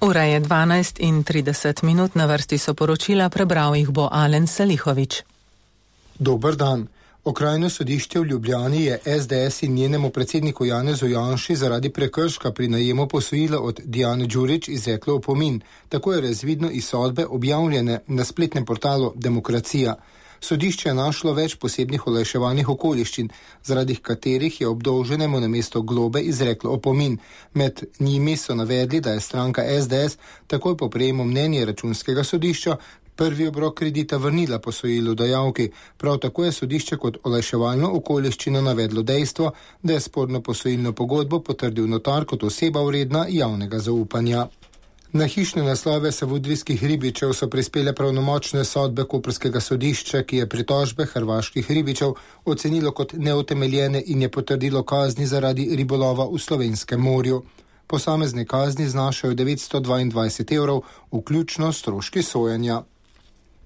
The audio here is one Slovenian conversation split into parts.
Ura je 12:30, na vrsti so poročila, prebral jih bo Alen Salihović. Dober dan. Okrajno sodišče v Ljubljani je SDS in njenemu predsedniku Janezu Janši zaradi prekrška pri najemu posojila od Dijane Đurić izreklo opomin. Tako je razvidno iz sodbe objavljene na spletnem portalu Demokracija. Sodišče je našlo več posebnih olajševalnih okoliščin, zaradi katerih je obdolženemu namesto globe izreklo opomin. Med njimi so navedli, da je stranka SDS takoj po prejemu mnenja Računskega sodišča prvi obrok kredita vrnila posojilodajalki. Prav tako je sodišče kot olajševalno okoliščino navedlo dejstvo, da je sporno posojilno pogodbo potrdil notar kot oseba vredna javnega zaupanja. Na hišne naslove savudrijskih ribičev so prispele pravnomočne sodbe koprskega sodišča, ki je pritožbe hrvaških ribičev ocenilo kot neutemeljene in je potrdilo kazni zaradi ribolova v Slovenskem morju. Posamezne kazni znašajo 922 evrov, vključno stroški sojenja.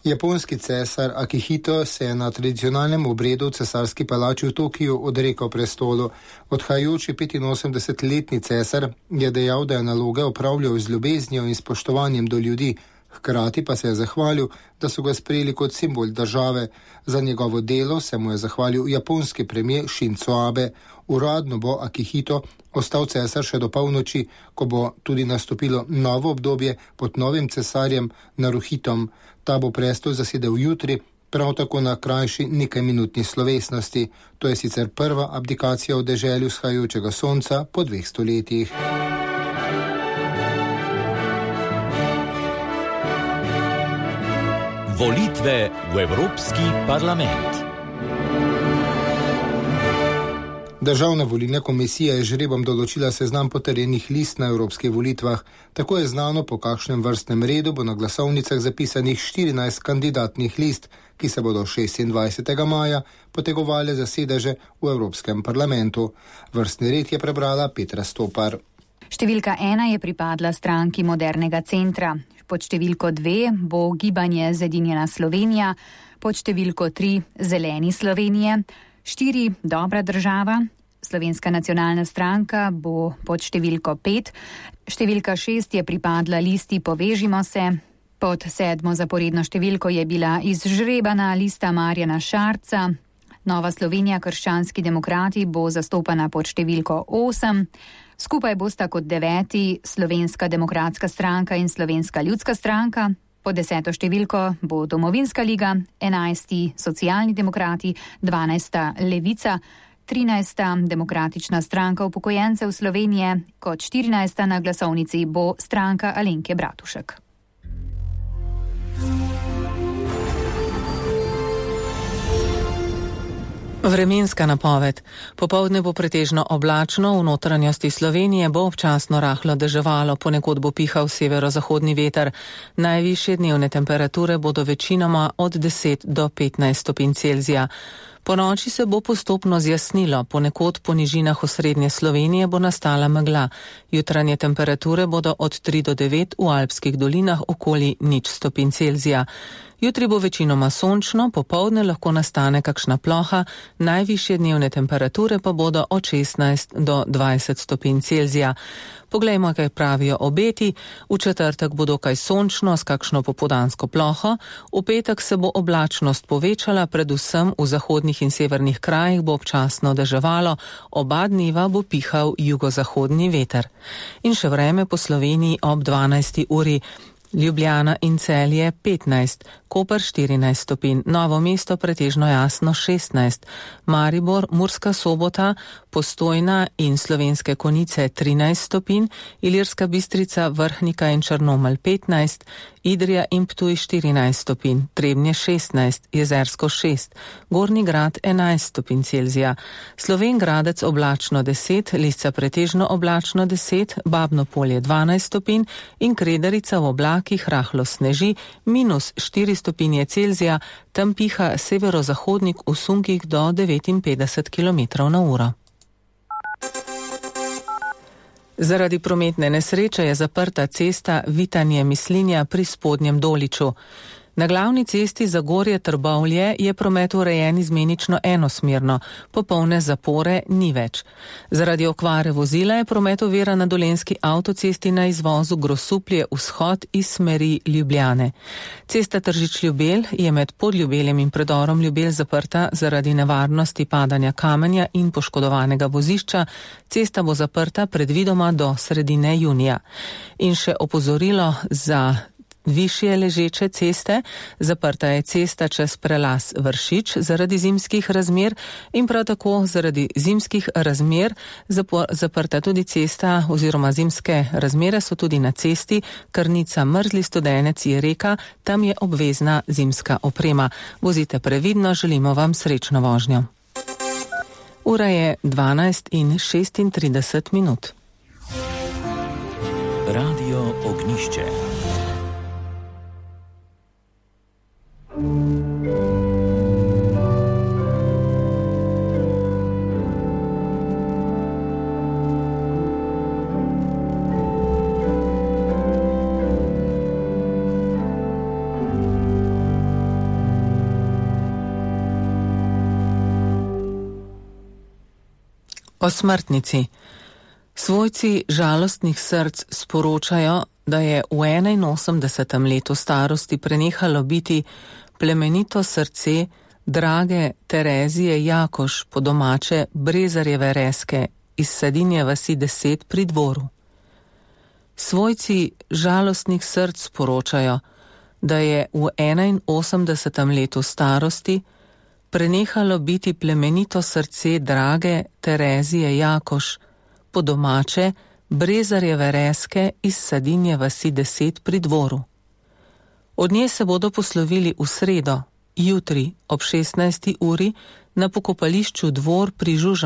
Japonski cesar Akihito se je na tradicionalnem obredu v cesarski palači v Tokiju odrekel prestolu. Odhajajoči 85-letni cesar je dejal, da je naloge opravljal z ljubeznijo in spoštovanjem do ljudi, hkrati pa se je zahvalil, da so ga sprejeli kot simbol države. Za njegovo delo se mu je zahvalil japonski premijer Shinzo Abe. Uradno bo Akihito ostal cesar še do polnoči, ko bo tudi nastopilo novo obdobje pod novim cesarjem Naruhitom. Ta bo prestol zasedel jutri, prav tako na krajši nekajminutni slovesnosti. To je sicer prva abdikacija v deželi vzhajajočega sonca po 2 stoletjih. Volitve v Evropski parlament. Državna volilna komisija je žrebom določila seznam potrjenih list na evropskih volitvah. Tako je znano, po kakšnem vrstnem redu bo na glasovnicah zapisanih 14 kandidatnih list, ki se bodo 26. maja potegovali za sedeže v Evropskem parlamentu. Vrstni red je prebrala Petra Stopar. Številka 1 je pripadla stranki Modernega centra. Pod številko 2 bo Gibanje Zedinjena Slovenija, pod številko 3 Zeleni Slovenije, 4 Dobra država, Slovenska nacionalna stranka bo pod številko 5, številka 6 je pripadla listi Povežimo se, pod 7. zaporedno številko je bila izžrebana lista Marjana Šarca, Nova Slovenija krščanski demokrati bo zastopana pod številko 8, skupaj bosta kot 9. Slovenska demokratska stranka in Slovenska ljudska stranka, pod 10. številko bo Domovinska liga, 11. Socialni demokrati, 12. Levica, 13. Demokratična stranka upokojencev Slovenije, kot 14. na glasovnici bo stranka Alenke Bratušek. Vremenska napoved. Popoldne bo pretežno oblačno, v notranjosti Slovenije bo občasno rahlo deževalo, ponekod bo pihal severozahodni veter. Najvišje dnevne temperature bodo večinoma od 10 do 15 stopinj Celzija. Po noči se bo postopno zjasnilo, ponekod po nižinah osrednje Slovenije bo nastala megla. Jutranje temperature bodo od 3 do 9, v alpskih dolinah okoli 0 stopinj Celzija. Jutri bo večinoma sončno, popoldne lahko nastane kakšna ploha, najvišje dnevne temperature pa bodo od 16 do 20 stopinj Celzija. Poglejmo, kaj pravijo obeti. V četrtek bo dokaj sončno s kakšno popoldansko ploho, v petek se bo oblačnost povečala, predvsem v zahodnih in severnih krajih bo občasno deževalo, oba dneva bo pihal jugozahodni veter. In še vreme po Sloveniji ob 12. uri. Ljubljana in Celje 15, Koper 14 stopinj, Novo mesto pretežno jasno 16, Maribor, Murska Sobota, Postojna in Slovenske Konjice 13 stopinj, Ilirska Bistrica, Vrhnika in Črnomelj 15, Idrija in Ptuj 14 stopinj, Trebnje 16, Jezersko 6, Gornji Grad 11 stopinj Celzija, Slovenj Gradec oblačno 10, Lisca pretežno oblačno 10, Babno Polje 12 stopinj in Kredarica v oblakih rahlo sneži -4 stopinje Celzija, tam piha severozahodnik v sunkih do 59 km/h. Zaradi prometne nesreče je zaprta cesta Vitanje-Mislinja pri Spodnjem Doliču. Na glavni cesti Zagorje-Trbovlje je promet urejen izmenično enosmerno, popolne zapore ni več. Zaradi okvare vozila je promet oviran na dolenjski avtocesti na izvozu Grosuplje vzhod iz smeri Ljubljane. Cesta Tržič-Ljubelj je med Podljubeljem in predorom Ljubelj zaprta zaradi nevarnosti padanja kamenja in poškodovanega vozišča. Cesta bo zaprta predvidoma do sredine junija. In še opozorilo za višje ležeče ceste, zaprta je cesta čez prelaz Vršič zaradi zimskih razmer in prav tako zaradi zimskih razmer zaprta tudi cesta oziroma zimske razmere so tudi na cesti Krnica Mrzli Studenec je reka, tam je obvezna zimska oprema. Vozite previdno, želimo vam srečno vožnjo. Ura je 12:36. Radio Ognišče. O smrtnici. Svojci žalostnih src sporočajo, da je v 81. letu starosti prenehalo biti plemenito srce drage Terezije Jakoš, po domače Brezarjeve Reske iz Sadinje vasi 10 pri Dvoru. Svojci žalostnih src sporočajo, da je v 81. letu starosti prenehalo biti plemenito srce drage Terezije Jakoš, po domače Brezarjeve Reske iz Sadinje vasi 10 pri Dvoru. Od nje se bodo poslovili v sredo, jutri ob 16. uri na pokopališču Dvor pri Žužem